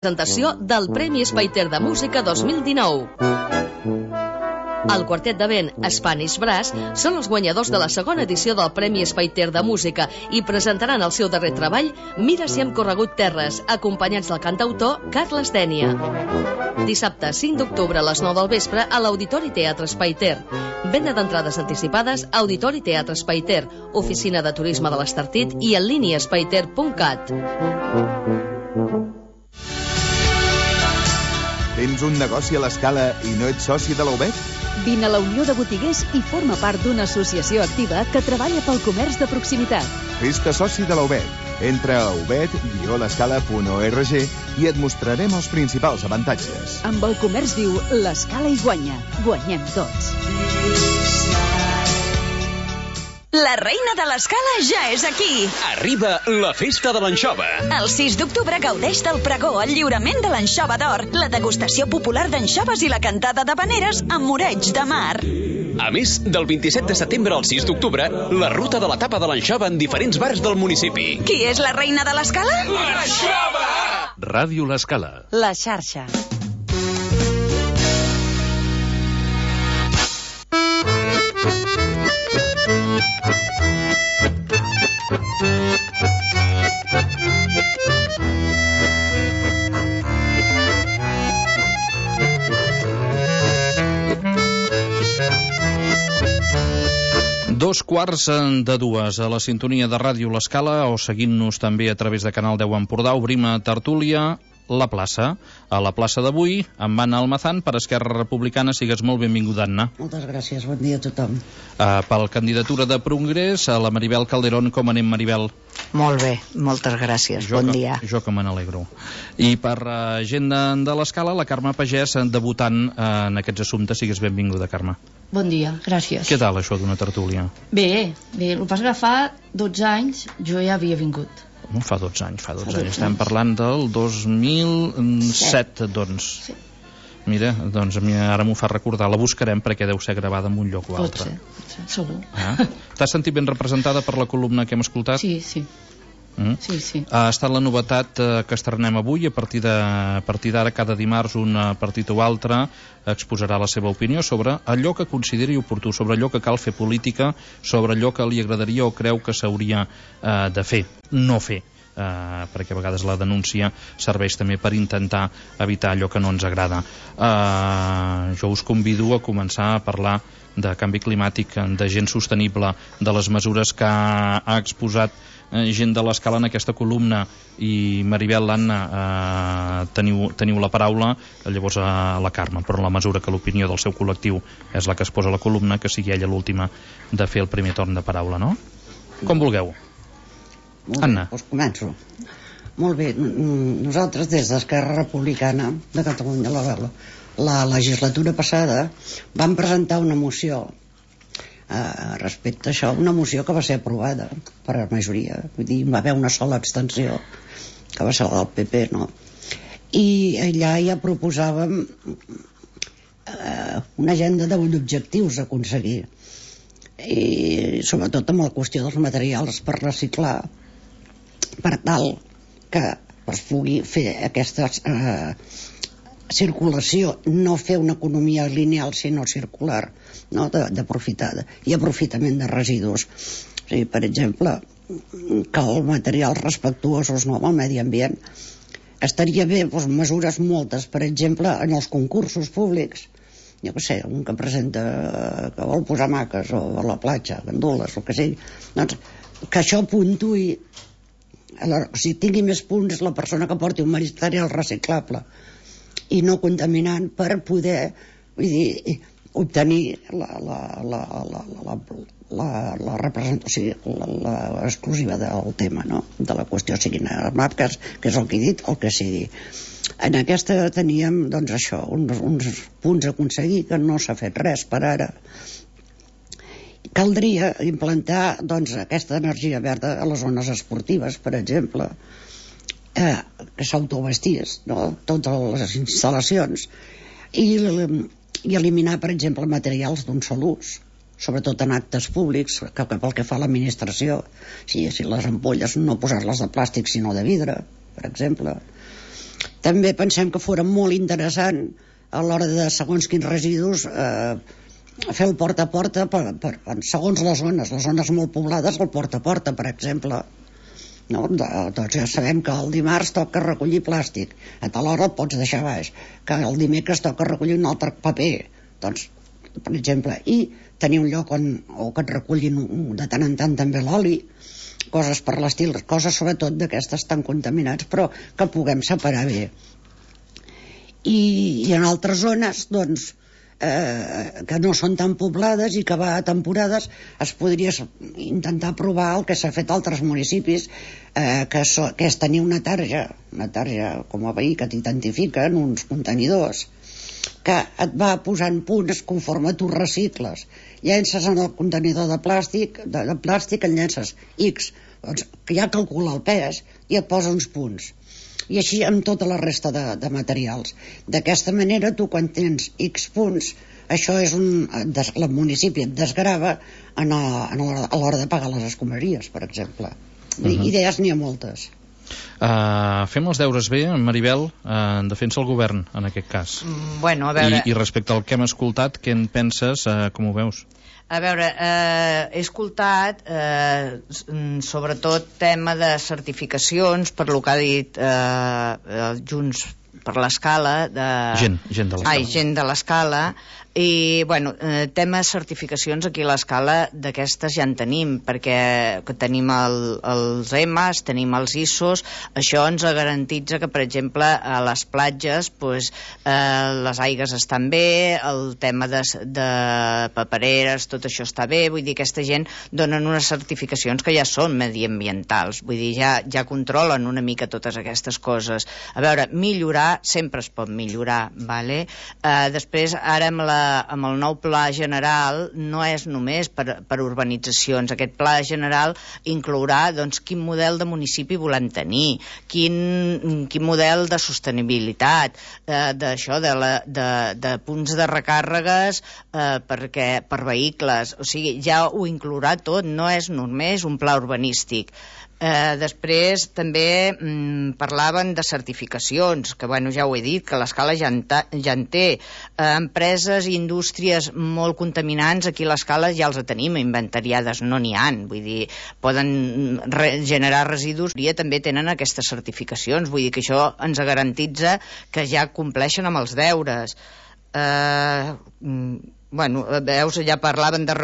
presentació del Premi Espaiter de Música 2019. El quartet de vent Spanish Brass són els guanyadors de la segona edició del Premi Espaiter de Música i presentaran el seu darrer treball, Mira si hem corregut terres, acompanyats del cantautor Carles Dénia. Dissabte 5 d'octubre a les 9 del vespre a l'Auditori Teatre Espaiter. Venda d'entrades anticipades a Auditori Teatre Espaiter, Oficina de Turisme de l'Estartit i en línia espaiter.cat. Tens un negoci a l'Escala i no ets soci de la UBEC? Vine a la Unió de Botiguers i forma part d'una associació activa que treballa pel comerç de proximitat. Fes-te soci de la UBEC. Entra a ubed-l'escala.org i et mostrarem els principals avantatges. Amb el comerç viu, l'Escala hi guanya. Guanyem tots. La reina de l'Escala ja és aquí. Arriba la festa de l'anxova. El 6 d'octubre gaudeix del pregó, el lliurament de l'anxova d'or, la degustació popular d'anxoves i la cantada d'havaneres amb moreig de mar. A més, del 27 de setembre al 6 d'octubre, la ruta de la tapa de l'anxova en diferents bars del municipi. Qui és la reina de l'Escala? L'anxova! Ràdio l'Escala. La xarxa. Dos quarts de dues a la sintonia de Ràdio l'Escala o seguint-nos també a través de Canal 10 Empordà. Obrim a tertúlia la plaça. A la plaça d'avui, amb Anna Almazán, per Esquerra Republicana. Sigues molt benvinguda, Anna. Moltes gràcies, bon dia a tothom. Per candidatura de Progrés, a la Maribel Calderón. Com anem, Maribel? Molt bé, moltes gràcies, bon dia. Jo que me n'alegro. I per gent de l'Escala, la Carme Pagès, debutant en aquests assumptes. Sigues benvinguda, Carme. Bon dia, gràcies. Què tal això d'una tertúlia? Bé, el que passa que fa 12 anys jo ja havia vingut. No, fa 12 anys. Estem parlant del 2007, doncs. Sí. Mira, doncs a mi ara m'ho fa recordar. La buscarem perquè deu ser gravada en un lloc o altre. Pot ser, segur. T'has sentit ben representada per la columna que hem escoltat? Sí. Sí. Ha estat la novetat que estrenem avui. A partir d'ara, cada dimarts, un partit o altre exposarà la seva opinió sobre allò que consideri oportú, sobre allò que cal fer política, sobre allò que li agradaria o creu que s'hauria de fer, no fer. Perquè a vegades la denúncia serveix també per intentar evitar allò que no ens agrada. Jo us convido a començar a parlar de canvi climàtic, de gent sostenible, de les mesures que ha exposat gent de l'Escala en aquesta columna. I Maribel, l'Anna, teniu la paraula, llavors a la Carme, però en la mesura que l'opinió del seu col·lectiu és la que es posa a la columna, que sigui ella l'última de fer el primer torn de paraula, no? Com vulgueu. Anna. Doncs començo. Molt bé, nosaltres des d'Esquerra Republicana de Catalunya, la legislatura passada, vam presentar una moció respecte a això, una moció que va ser aprovada per majoria, vull dir, va haver una sola abstenció, que va ser la del PP, no? I allà ja proposàvem una agenda d'objectius a aconseguir, i sobretot amb la qüestió dels materials per reciclar, per tal que es pugui fer aquesta circulació, no fer una economia lineal sinó circular, no? D'aprofitada i aprofitament de residus. O sigui, per exemple, que els materials respectuosos, no, amb el medi ambient. Estaria bé, doncs, mesures moltes, per exemple, en els concursos públics, jo què sé, un que presenta que vol posar maques o a la platja, gandules, el que sigui, doncs que això puntuï, si tingui més punts la persona que porti un material reciclable i no contaminant, per poder, vull dir, obtenir la representació, l'exclusiva del tema, no? De la qüestió, siguin marques, que és el que he dit, el que sigui. En aquesta teníem, doncs, això, uns punts a aconseguir, que no s'ha fet res per ara. Caldria implantar, doncs, aquesta energia verda a les zones esportives, per exemple, que s'autovestís, no? Totes les instal·lacions, i eliminar, per exemple, materials d'un sol ús, sobretot en actes públics, que pel que fa a l'administració, si les ampolles no posar-les de plàstic sinó de vidre, per exemple, També pensem que fora molt interessant a l'hora de segons quins residus fer el porta a porta segons les zones molt poblades, el porta a porta, per exemple, no? Doncs ja sabem que el dimarts toca recollir plàstic, a tal hora el pots deixar baix, que el dimecres toca recollir un altre paper, doncs, per exemple, i tenir un lloc o que et recullin de tant en tant també l'oli, coses per l'estil, coses sobretot d'aquestes tan contaminats, però que puguem separar bé. I en altres zones, doncs, que no són tan poblades i que va a temporades, es podria intentar provar el que s'ha fet a altres municipis, que és tenir una tarja com a veí que t'identifica en uns contenidors, que et va posant punts conforme tu recicles. Llences en el contenidor de plàstic, en llences X, doncs que ja calcula el pes i et posa uns punts. I així amb tota la resta de materials. D'aquesta manera, tu quan tens X punts, això és el municipi et desgrava a l'hora de pagar les escombraries, per exemple. Idees n'hi ha moltes. Fem els deures bé, Maribel, en defensa el govern, en aquest cas. Bueno, a veure... I respecte al que hem escoltat, què en penses, com ho veus? A veure, he escoltat sobretot tema de certificacions, per lo que ha dit Junts per l'Escala, gent de l'Escala. Gent de l'Escala. I, bueno, tema certificacions aquí a l'Escala d'aquestes ja en tenim, perquè tenim els EMAs, tenim els ISOs, això ens garantitza que, per exemple, a les platges pues, les aigues estan bé, el tema de papereres, tot això està bé, vull dir, aquesta gent donen unes certificacions que ja són mediambientals, vull dir, ja controlen una mica totes aquestes coses. A veure, millorar, sempre es pot millorar, vale? Després, ara amb el nou pla general no és només per urbanitzacions. Aquest pla general inclourà doncs, quin model de municipi volem tenir, quin model de sostenibilitat, de punts de recàrregues per vehicles. O sigui, ja ho inclourà tot, no és només un pla urbanístic. Després també parlaven de certificacions, que bueno, ja ho he dit, que l'Escala ja en té. Empreses i indústries molt contaminants, aquí a l'Escala ja els tenim inventariades, no n'hi han, vull dir, poden generar residus i també tenen aquestes certificacions, vull dir que això ens garantitza que ja compleixen amb els deures. Bueno, veus, ja parlaven de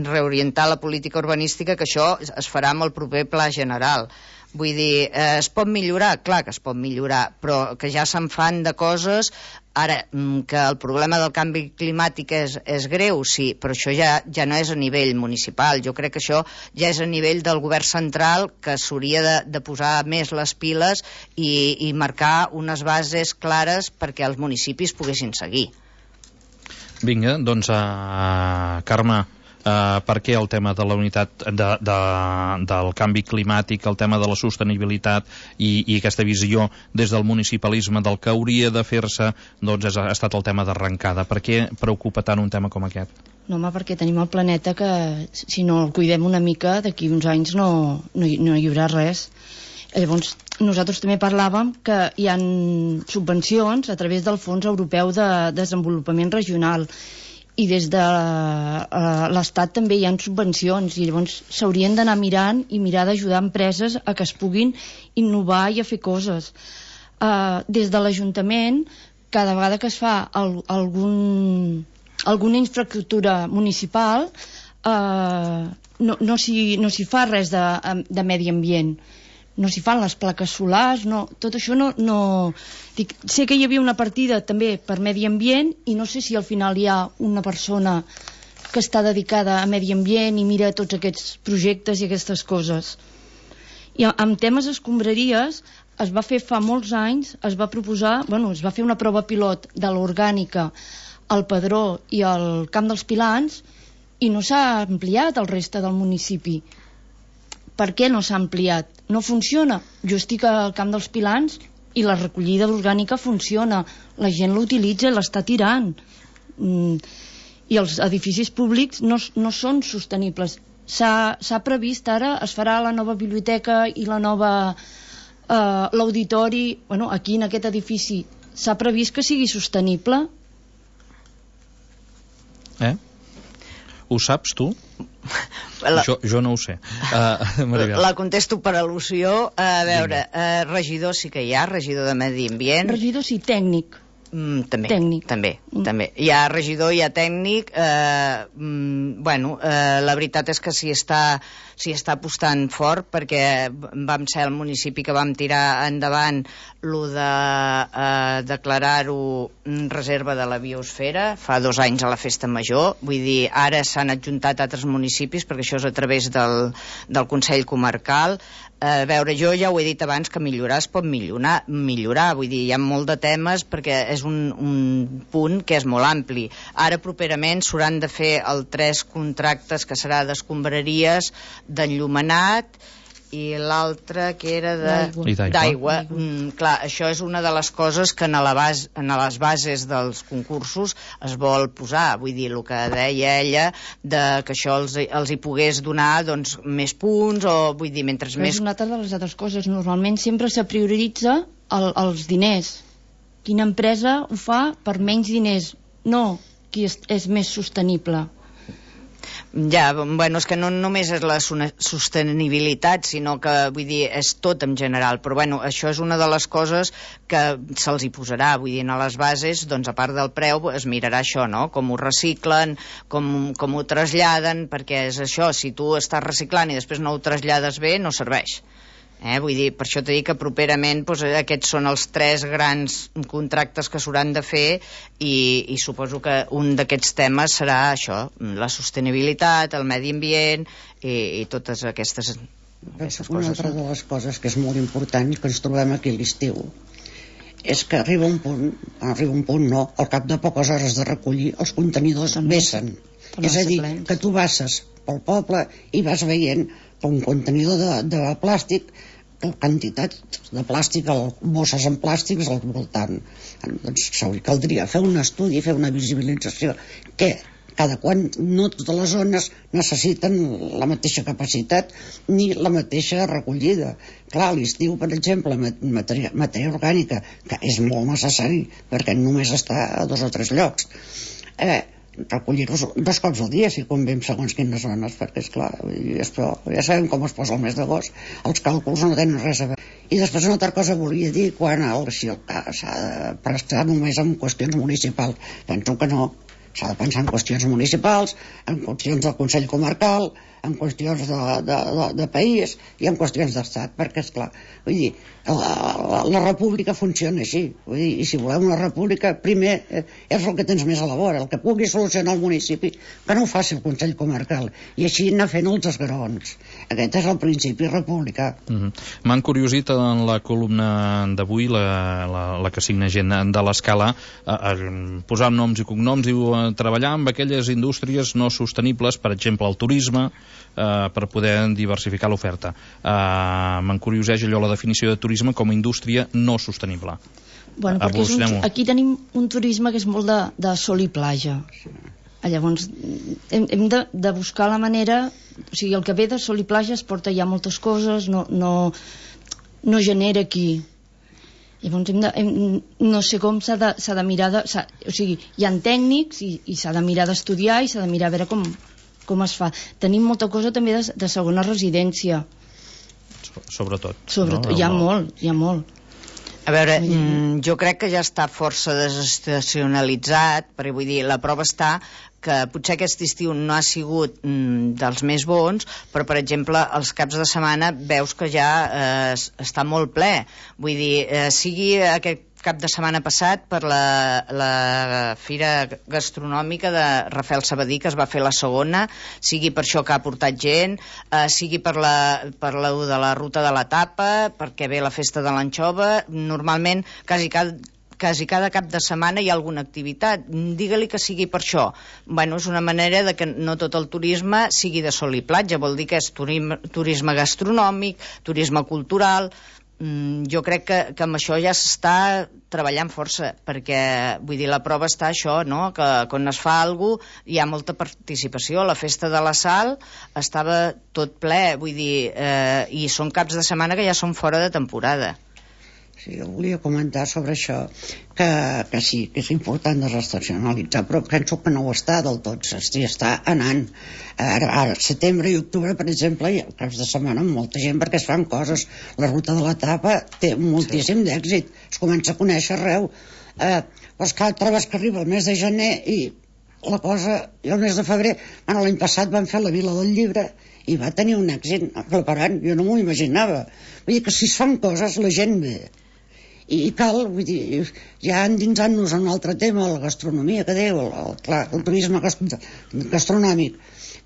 reorientar la política urbanística, que això es farà amb el proper pla general. Vull dir, es pot millorar? Clar que es pot millorar, però que ja se'n fan de coses. Ara, que el problema del canvi climàtic és greu, sí, però això ja no és a nivell municipal. Jo crec que això ja és a nivell del govern central, que s'hauria de posar més les piles i marcar unes bases clares perquè els municipis poguessin seguir. Vinga, doncs, Carme, per què el tema de la unitat del canvi climàtic, el tema de la sostenibilitat i aquesta visió des del municipalisme del que hauria de fer-se, doncs ha estat el tema d'arrencada? Per què preocupa tant un tema com aquest? No, home, perquè tenim el planeta que, si no el cuidem una mica, d'aquí uns anys no hi haurà res. Llavors, nosaltres també parlàvem que hi ha subvencions a través del Fons Europeu de Desenvolupament Regional i des de l'Estat també hi ha subvencions i llavors s'haurien d'anar mirant i mirar d'ajudar empreses a que es puguin innovar i a fer coses. Des de l'Ajuntament, cada vegada que es fa alguna infraestructura municipal, no s'hi fa res de medi ambient. No s'hi fan les plaques solars, tot això no... Sé que hi havia una partida també per medi ambient i no sé si al final hi ha una persona que està dedicada a medi ambient i mira tots aquests projectes i aquestes coses. I amb temes escombraries es va fer fa molts anys, es va fer una prova pilot de l'orgànica al Pedró i al Camp dels Pilans i no s'ha ampliat al reste del municipi. Per què no s'ha ampliat? No funciona. Jo estic al Camp dels Pilans i la recollida orgànica funciona. La gent l'utilitza i l'està tirant. I els edificis públics no són sostenibles. S'ha previst ara, es farà la nova biblioteca i la nova l'auditori, aquí en aquest edifici s'ha previst que sigui sostenible. Ho saps tu? Jo no ho sé. La contesto per al·lusió. A veure, regidor sí que hi ha, regidor de Medi Ambient. Regidor sí, tècnic. També. Hi ha regidor, hi ha tècnic. La veritat és que s'hi està apostant fort, perquè vam ser el municipi que vam tirar endavant lo de declarar-ho reserva de la biosfera fa 2 anys a la Festa Major. Vull dir, ara s'han adjuntat altres municipis, perquè això és a través del Consell Comarcal. A veure, jo ja ho he dit abans, que millorar es pot millorar. Vull dir, hi ha molt de temes, perquè és un punt que és molt ampli. Ara properament s'hauran de fer 3 contractes, que serà d'escombraries, d'enllumenat, i l'altre que era d'aigua. Clar, això és una de les coses que en les bases dels concursos es vol posar. Vull dir, el que deia ella, que això els hi pogués donar més punts, o vull dir, mentre més... És una altra de les altres coses. Normalment sempre se prioritza els diners. Quina empresa ho fa per menys diners? No qui és més sostenible. Ja, és que no només és la sostenibilitat, sinó que, vull dir, és tot en general, però això és una de les coses que se'ls hi posarà, vull dir, a les bases, a part del preu, es mirarà això, no?, com ho reciclen, com ho traslladen, perquè és això, si tu estàs reciclant i després no ho trasllades bé, no serveix. Vull dir, per això t'he dit que properament aquests són els 3 grans contractes que s'hauran de fer, i suposo que un d'aquests temes serà això, la sostenibilitat, el medi ambient i totes aquestes coses. Una altra de les coses que és molt important, que ens trobem aquí a l'estiu, és que arriba un punt, no, al cap de poques hores de recollir, els contenidors vessen. És a dir, que tu passes pel poble i vas veient un contenidor de plàstic, quantitat de plàstic, bosses en plàstics al voltant. Doncs caldria fer un estudi, fer una visibilització, que cada quan no totes les zones necessiten la mateixa capacitat ni la mateixa recollida. Clar, a l'estiu, per exemple, matèria orgànica, que és molt necessari perquè només està a 2 o 3 llocs, recollir-los 2 cops al dia, si convé, en segons quines zones, perquè, esclar, ja sabem com es posa el mes d'agost, els càlculs no tenen res a veure. I després una altra cosa volia dir, quan s'ha de prestar només en qüestions municipals, penso que no, s'ha de pensar en qüestions municipals, en qüestions del Consell Comarcal, en qüestions de país i en qüestions d'estat, perquè, esclar, vull dir, la república funciona així, vull dir, i si volem una república, primer és el que tens més a la vora, el que pugui solucionar el municipi, que no ho faci el Consell Comarcal, i així anar fent els esgarons. Aquest és el principi republicà. M'han curiosit en la columna d'avui, la que signa gent de l'Escala, posar noms i cognoms, diu treballar amb aquelles indústries no sostenibles, per exemple el turisme, per poder diversificar l'oferta. M'encurioseix allò, la definició de turisme com a indústria no sostenible. Perquè aquí tenim un turisme que és molt de sol i platja. Llavors hem de buscar la manera, o sigui, el que ve de sol i platja es porta ja moltes coses, no genera aquí. Llavors no sé com s'ha de mirar o sigui, hi ha tècnics i s'ha de mirar d'estudiar i s'ha de mirar a veure com es fa. Tenim molta cosa també de segona residència. Sobretot. Hi ha molt. A veure, jo crec que ja està força desestacionalitzat, perquè vull dir, la prova està que potser aquest estiu no ha sigut dels més bons, però per exemple els caps de setmana veus que ja està molt ple. Vull dir, sigui aquest cap de setmana passat per la fira gastronòmica de Rafael Sabadí, que es va fer la segona, sigui per això que ha portat gent, sigui per la de la ruta de la tapa, perquè ve la festa de l'anxova. Normalment quasi cada cap de setmana hi ha alguna activitat. Digue-li que sigui per això. És una manera de que no tot el turisme sigui de sol i platja, vol dir que és turisme gastronòmic, turisme cultural. jo crec que amb això ja s'està treballant força, perquè vull dir, la prova està això, no? Que quan es fa alguna cosa hi ha molta participació. La festa de la Sal estava tot ple, vull dir, i són caps de setmana que ja són fora de temporada. Sí, jo volia comentar sobre això, que sí, que és important desestacionalitzar, però penso que no ho està del tot, està anant. Ara, setembre i octubre, per exemple, hi ha caps de setmana amb molta gent perquè es fan coses. La ruta de la tapa té moltíssim d'èxit, es comença a conèixer arreu. Però que trobes que arriba el mes de gener i la cosa, i el mes de febrer, l'any passat van fer la Vila del Llibre i va tenir un èxit preparant, jo no m'ho imaginava. Vull dir que si es fan coses la gent ve. I cal, vull dir, ja endinsant-nos en un altre tema, la gastronomia que diu, el turisme gastronòmic.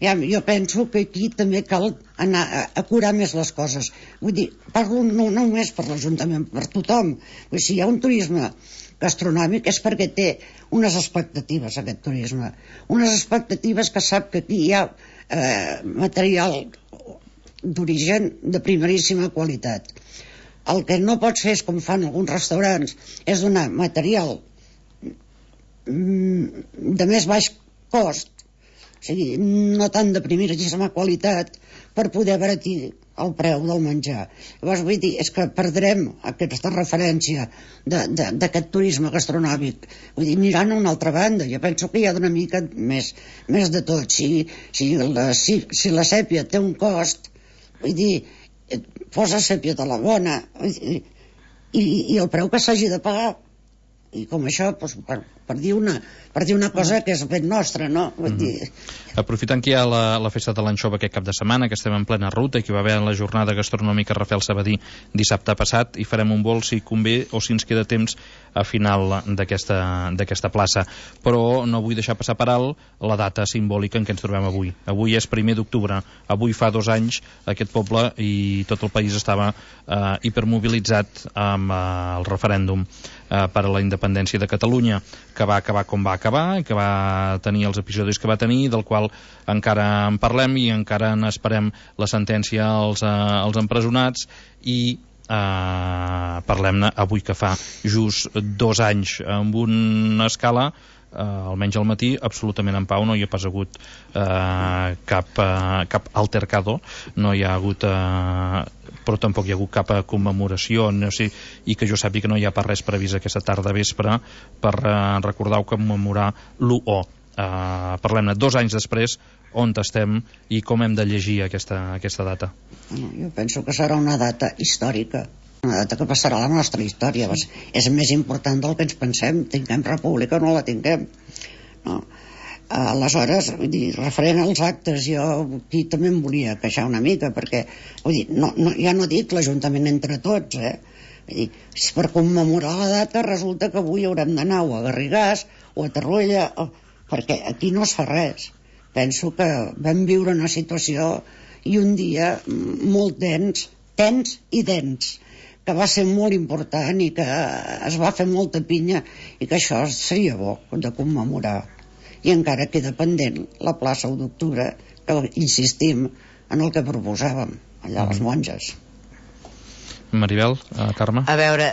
Jo penso que aquí també cal anar a curar més les coses. Vull dir, parlo no només per l'Ajuntament, per tothom. Vull dir, si hi ha un turisme gastronòmic és perquè té unes expectatives, aquest turisme. Unes expectatives que sap que aquí hi ha material d'origen de primeríssima qualitat. El que no pots fer és, com fan alguns restaurants, és donar material de més baix cost, o sigui, no tant de primeríssima qualitat, per poder abaratir el preu del menjar. Llavors, vull dir, és que perdrem aquesta referència d'aquest turisme gastronòmic. Vull dir, mirant a una altra banda, jo penso que hi ha d'una mica més de tot. Si la sèpia té un cost, vull dir, posa sèpia de la bona i el preu que s'hagi de pagar, i com això, doncs, per dir una cosa que és ben nostra, no? Vull dir... Aprofitant que hi ha la festa de l'anxova aquest cap de setmana, que estem en plena ruta i que va haver la jornada gastronòmica Rafael Sabadí dissabte passat, i farem un vol si convé o si ens queda temps a final d'aquesta plaça. Però no vull deixar passar per alt la data simbòlica en què ens trobem avui. Avui és 1 d'octubre. Avui fa 2 anys aquest poble i tot el país estava hipermobilitzat amb el referèndum per a la independència de Catalunya, que va acabar com va acabar i que va tenir els episodis que va tenir, del qual encara en parlem i encara n'esperem la sentència als empresonats, i parlem-ne avui que fa just 2 anys amb una escala, almenys al matí, absolutament en pau. No hi ha pas hagut cap altercado, no hi ha hagut però tampoc hi ha hagut cap commemoració, no sé, i que jo sàpiga que no hi ha pas res previst aquesta tarda vespre per recordar o commemorar l'1. Parlem-ne 2 anys després, on estem i com hem de llegir aquesta data. Jo penso que serà una data històrica, una data que passarà a la nostra història. És més important del que ens pensem. Tinguem república o no la tinguem, no? Aleshores, vull dir, referent als actes, jo aquí també em volia queixar una mica, perquè vull dir, ja no dic l'Ajuntament entre tots, vull dir, per commemorar la data resulta que avui haurem d'anar o a Garrigàs o a Torroella, perquè aquí no es fa res. Penso que vam viure una situació i un dia molt tens i dens, que va ser molt important i que es va fer molta pinya, i que això seria bo de commemorar. I encara queda pendent la plaça 1 d'octubre, que insistim en el que proposàvem allà a les monges. Maribel, Carme? A veure,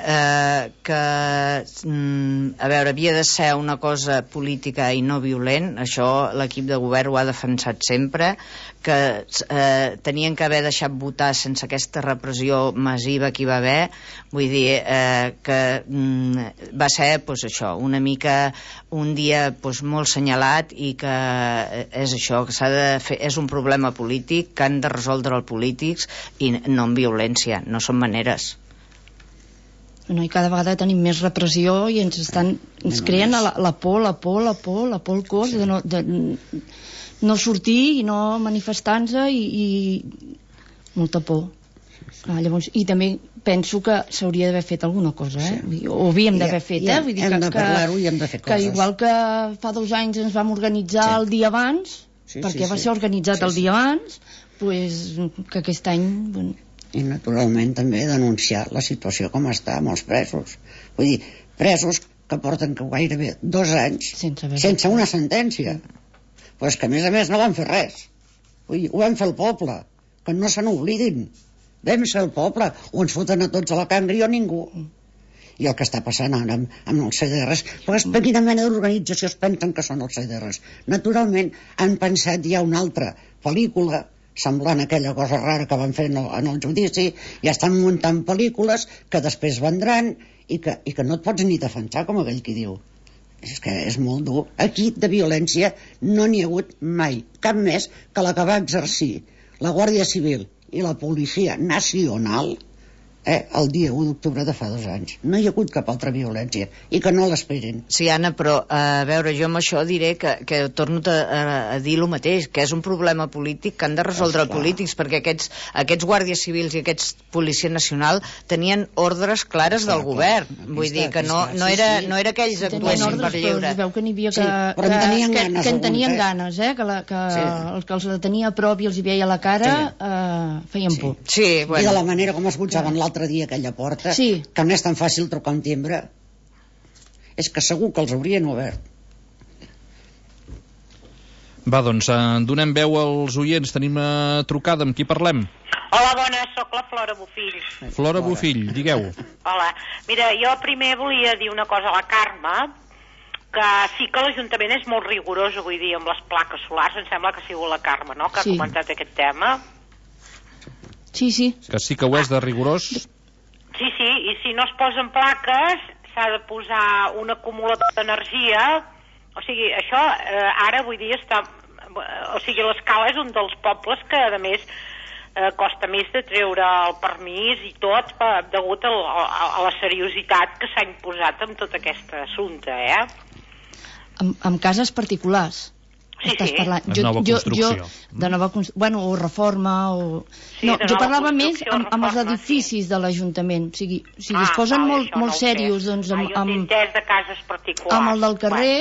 havia de ser una cosa política i no violent. Això l'equip de govern ho ha defensat sempre, que tenien que haver deixat votar sense aquesta repressió massiva que hi va haver. Vull dir que va ser, doncs, això, una mica un dia, doncs, molt senyalat, i que és això, que s'ha de fer, és un problema polític que han de resoldre els polítics i no amb violència, no són maneres. No, i cada vegada tenim més repressió i ens creen la por al cos de no sortir i no manifestar-nos i molta por. Llavors, i també penso que s'hauria d'haver fet alguna cosa, o havíem d'haver fet, vull dir, hem de parlar-ho i hem de fer coses. Que igual que fa 2 anys ens vam organitzar el dia abans, perquè va ser organitzat el dia abans, que aquest any... I naturalment també denunciar la situació com està amb els presos. Vull dir, presos que porten gairebé 2 anys sense una sentència. Però és que a més no van fer res. Vull dir, ho vam fer el poble, que no se n'oblidin. Vam ser el poble, o ens foten a tots a la cangri o ningú. I el que està passant ara amb els CDRs, però quina mena d'organització es pensen que són els CDRs? Naturalment han pensat ja una altra pel·lícula semblant a aquella cosa rara que van fer en el judici, ja estan muntant pel·lícules que després vendran i que no et pots ni defensar, com aquell qui diu. És que és molt dur. Aquí de violència no n'hi ha hagut mai, cap més que la que va exercir la Guàrdia Civil i la Policia Nacional el dia 1 d'octubre de fa 2 anys. No hi ha hagut cap altra violència i que no l'esperin. Sí, Anna, però a veure, jo amb això diré que torno a dir el mateix, que és un problema polític que han de resoldre els polítics, perquè aquests guàrdies civils i aquests Policia Nacional tenien ordres clares del govern. Vull dir que no era que ells actuessin per lliure. Es veu que n'hi havia que en tenien ganes, que els que els tenia a prop i els hi veia la cara feien por. I de la manera com es butjaven l'altre dia aquella porta, que no és tan fàcil trucar un timbre, és que segur que els haurien obert. Va, doncs, donem veu als oients. Tenim trucada, amb qui parlem? Hola, bona, sóc la Flora Bofill. Flora Bofill, digueu. Hola, mira, jo primer volia dir una cosa a la Carme, que sí que l'Ajuntament és molt rigorós, vull dir, amb les plaques solars. Em sembla que ha sigut la Carme, no?, que ha comentat aquest tema. Sí. Que sí que ho és de rigorós? Sí, i si no es posen plaques s'ha de posar un acumulador d'energia. O sigui, això ara vull dir està... O sigui, l'Escala és un dels pobles que a més costa més de treure el permís i tot degut a la seriositat que s'ha imposat amb tot aquest assumpte, Amb cases particulars. Sí. Parlant. De nova construcció. De nova construcció, o reforma o... No, jo parlava més amb els edificis de l'Ajuntament. O sigui es posen molt serios doncs, amb de cases particulars. Amb el del carrer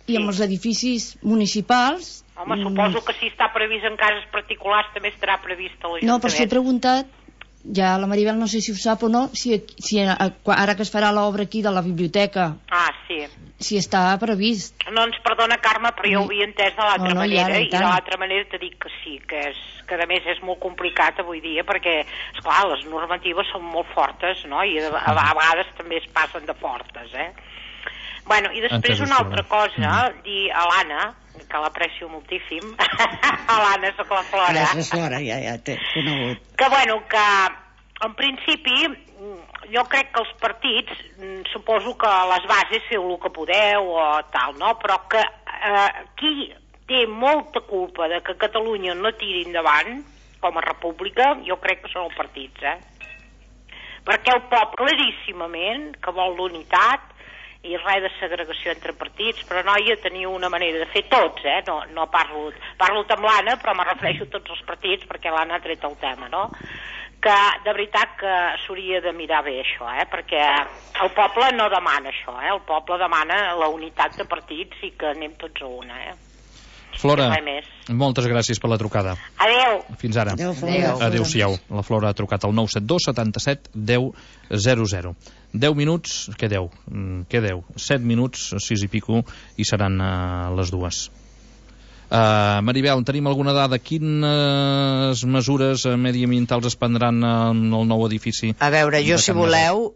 i amb els edificis municipals. Home, suposo que si està previst en cases particulars també estarà previst a l'Ajuntament. No, però si he preguntat, ja la Maribel no sé si ho sap o no, si ara que es farà l'obra aquí de la biblioteca... si està previst. No ens perdona, Carme, però jo ho havia entès de l'altra manera, i de l'altra manera t'he dit que sí, que a més és molt complicat avui dia, perquè, esclar, les normatives són molt fortes, no?, i a vegades també es passen de fortes, Bueno, i després una altra cosa, dir a l'Anna, que l'aprecio moltíssim, a l'Anna, sóc la Flora. Gràcies, Flora, ja t'he conegut. Que, bueno, que en principi jo crec que els partits, suposo que a les bases feu el que podeu o tal, no? Però que qui té molta culpa de que Catalunya no tiri endavant com a república, jo crec que són els partits, perquè el poble claríssimament que vol l'unitat i res de segregació entre partits, però noia, teniu una manera de fer tots, no parlo amb l'Anna, però me refereixo a tots els partits perquè l'Anna ha tret el tema, no? Que de veritat que s'hauria de mirar bé això, perquè el poble no demana això, el poble demana la unitat de partits i que anem tots a una, Flora, moltes gràcies per la trucada. Adéu. Fins ara. Adéu-siau. La Flora ha trucat al 972 77 10 00. 10 minuts, què 10? Què 10? 7 minuts, 6 i pico, i seran les 2. Maribel, tenim alguna dada? Quines mesures mediambientals es prendran en el nou edifici? A veure, jo si voleu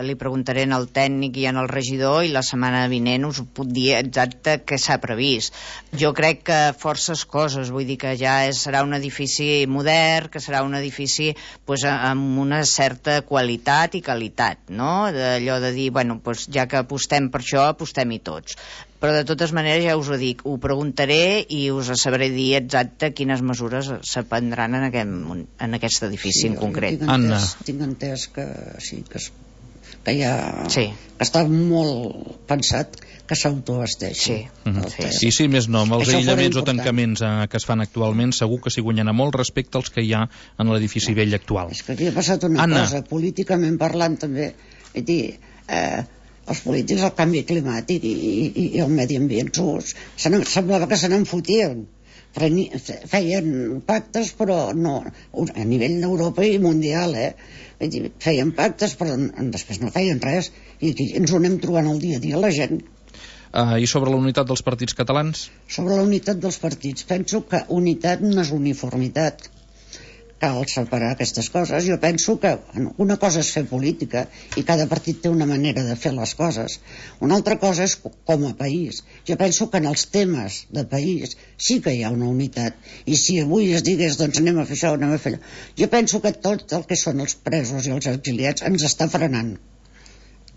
li preguntaré al tècnic i al regidor i la setmana vinent us puc dir exacte què s'ha previst. Jo crec que forces coses, vull dir que ja serà un edifici modern, que serà un edifici amb una certa qualitat i qualitat, no? Allò de dir, bueno, ja que apostem per això, apostem-hi tots. Però de totes maneres ja us ho dic, ho preguntaré i us sabré dir exacte quines mesures se prendran en aquest edifici en concret. Tinc entès que sí, que ja que està molt pensat que s'autoabasteixi. I sí, més no, amb els aïllaments o tancaments que es fan actualment segur que s'hi guanyarà molt respecte als que hi ha en l'edifici vell actual. És que aquí ha passat una cosa, políticament parlant també, els polítics, el canvi climàtic i el medi ambient semblava que se n'enfotien, feien pactes però no, a nivell d'Europa i mundial, feien pactes però després no feien res i aquí ens ho anem trobant el dia a dia la gent. I sobre la unitat dels partits catalans? Sobre la unitat dels partits penso que unitat no és uniformitat, cal separar aquestes coses. Jo penso que una cosa és fer política i cada partit té una manera de fer les coses. Una altra cosa és com a país. Jo penso que en els temes de país sí que hi ha una unitat. I si avui es digués, doncs anem a fer això, anem a fer allò. Jo penso que tot el que són els presos i els exiliats ens està frenant.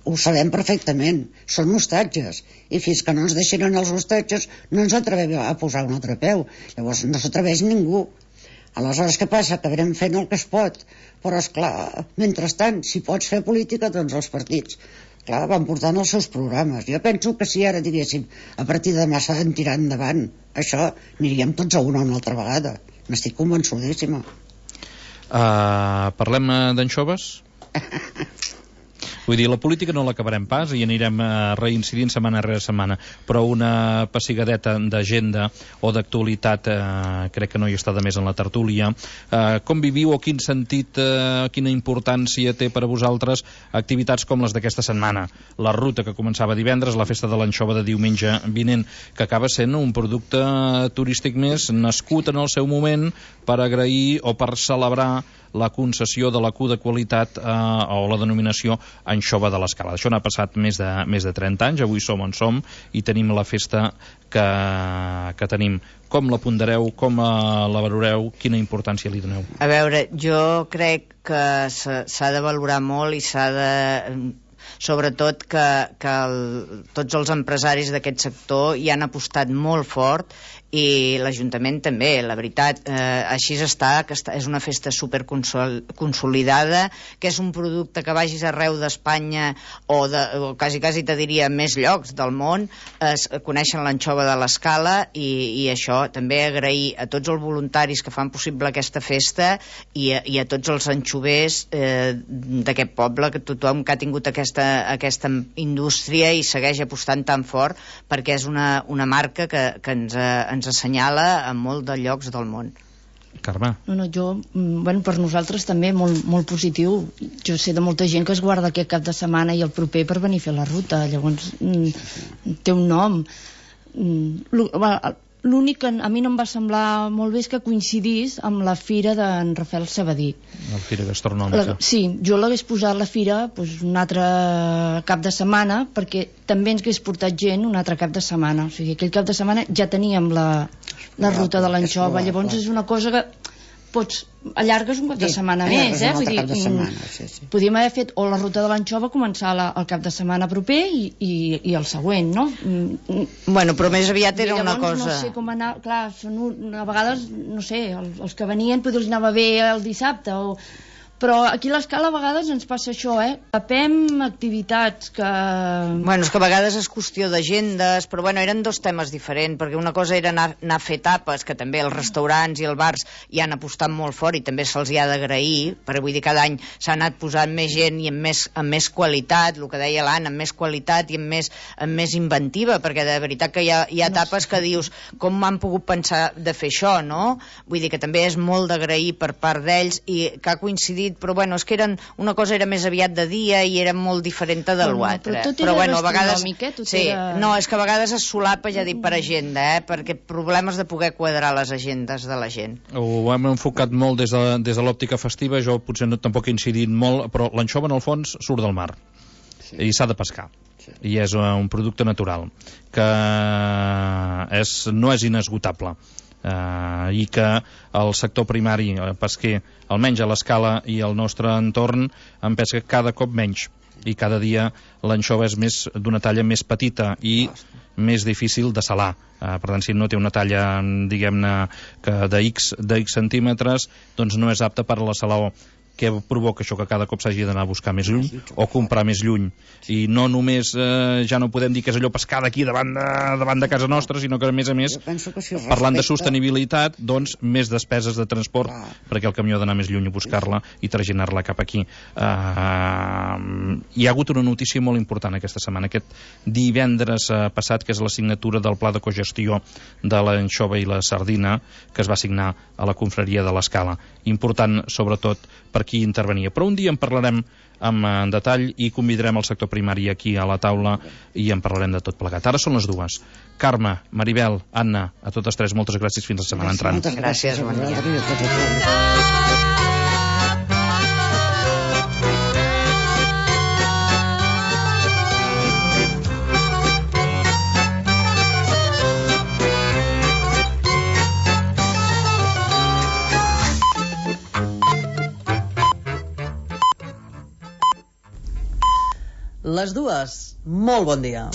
Ho sabem perfectament, són hostatges, i fins que no ens deixin els hostatges no ens atrevem a posar un altre peu. Llavors no s'atreveix ningú. Aleshores, què passa? Acabarem fent el que es pot, però esclar, mentrestant, si pots fer política, doncs els partits clar, van portant els seus programes. Jo penso que si ara diguéssim a partir de demà s'ha de tirar endavant això, aniríem tots a una altra vegada. N'estic convençudíssima. Parlem d'anxoves? Vull dir, la política no l'acabarem pas i anirem reincidint setmana rere setmana, però una pessigadeta d'agenda o d'actualitat crec que no hi està de més en la tertúlia. Com viviu o quin sentit, quina importància té per a vosaltres activitats com les d'aquesta setmana? La ruta que començava divendres, la festa de l'anxova de diumenge vinent, que acaba sent un producte turístic més nascut en el seu moment per agrair o per celebrar la concessió de la Q de qualitat o la denominació anxova de l'Escala. Això n'ha passat més de 30 anys, avui som on som i tenim la festa que tenim. Com la pondereu, com la valoreu, quina importància li doneu? A veure, jo crec que s'ha de valorar molt i s'ha de... sobretot que tots els empresaris d'aquest sector hi han apostat molt fort i l'Ajuntament també, la veritat, així està, que és una festa superconsolidada, que és un producte que vagis arreu d'Espanya o quasi te diria més llocs del món, coneixen l'anxova de l'Escala i això també agrair a tots els voluntaris que fan possible aquesta festa i a tots els anxovers d'aquest poble, que tothom que ha tingut aquesta indústria i segueix apostant tan fort perquè és una marca que ens assenyala a molt de llocs del món. Carme? Per nosaltres també molt positiu. Jo sé de molta gent que es guarda aquest cap de setmana i el proper per venir a fer la ruta. Llavors té un nom. L'únic que a mi no em va semblar molt bé és que coincidís amb la fira d'en Rafael Sabadí. La fira gastronòmica. Sí, jo l'hagués posat la fira un altre cap de setmana perquè també ens hagués portat gent un altre cap de setmana. O sigui, aquell cap de setmana ja teníem la ruta de l'anxova. Llavors és una cosa que allargues un cap de setmana més, vull dir, podíem haver fet o la ruta de l'anxova començar el cap de setmana proper i el següent, no? Bueno, però més aviat era una cosa... No sé com anar, clar, a vegades, no sé, els que venien potser els anava bé el dissabte però aquí a l'Escala a vegades ens passa això, tapem activitats que... Bueno, és que a vegades és qüestió d'agendes, però bueno, eren dos temes diferents, perquè una cosa era anar a fer tapes, que també els restaurants i els bars hi han apostat molt fort i també se'ls hi ha d'agrair, perquè vull dir, cada any s'ha anat posant més gent i amb més qualitat, el que deia l'Anna, amb més qualitat i amb més inventiva, perquè de veritat que hi ha tapes que dius, com m'han pogut pensar de fer això, no? Vull dir que també és molt d'agrair per part d'ells i que ha coincidit, però bueno, és que una cosa era més aviat de dia i era molt diferent de l'altre. Però bueno, a vegades... No, és que a vegades es solapa, ja dic, per agenda, perquè problemes de poder quadrar les agendes de la gent. Ho hem enfocat molt des de l'òptica festiva, jo potser tampoc he incidit molt, però l'anxova en el fons surt del mar i s'ha de pescar. I és un producte natural que no és inesgotable. I que el sector primari pesquer, almenys a l'Escala i al nostre entorn, en pesca cada cop menys i cada dia l'anxova és d'una talla més petita i més difícil de salar. Per tant, si no té una talla, diguem-ne, de X centímetres, doncs no és apta per a la salaó. Què provoca això? Que cada cop s'hagi d'anar a buscar més lluny o comprar més lluny. I no només ja no podem dir que és allò pescar d'aquí davant de casa nostra, sinó que a més, parlant de sostenibilitat, doncs més despeses de transport perquè el camió ha d'anar més lluny a buscar-la i traginar-la cap aquí. Hi ha hagut una notícia molt important aquesta setmana, aquest divendres passat, que és la signatura del pla de cogestió de l'anxova i la sardina que es va signar a la confraria de l'Escala. Important, sobretot, per qui intervenia. Però un dia en parlarem en detall i convidarem el sector primari aquí a la taula i en parlarem de tot plegat. Ara són les dues. Carme, Maribel, Anna, a totes tres, moltes gràcies, fins la setmana entrant. Moltes gràcies. Bon dia. les 2. Molt bon dia.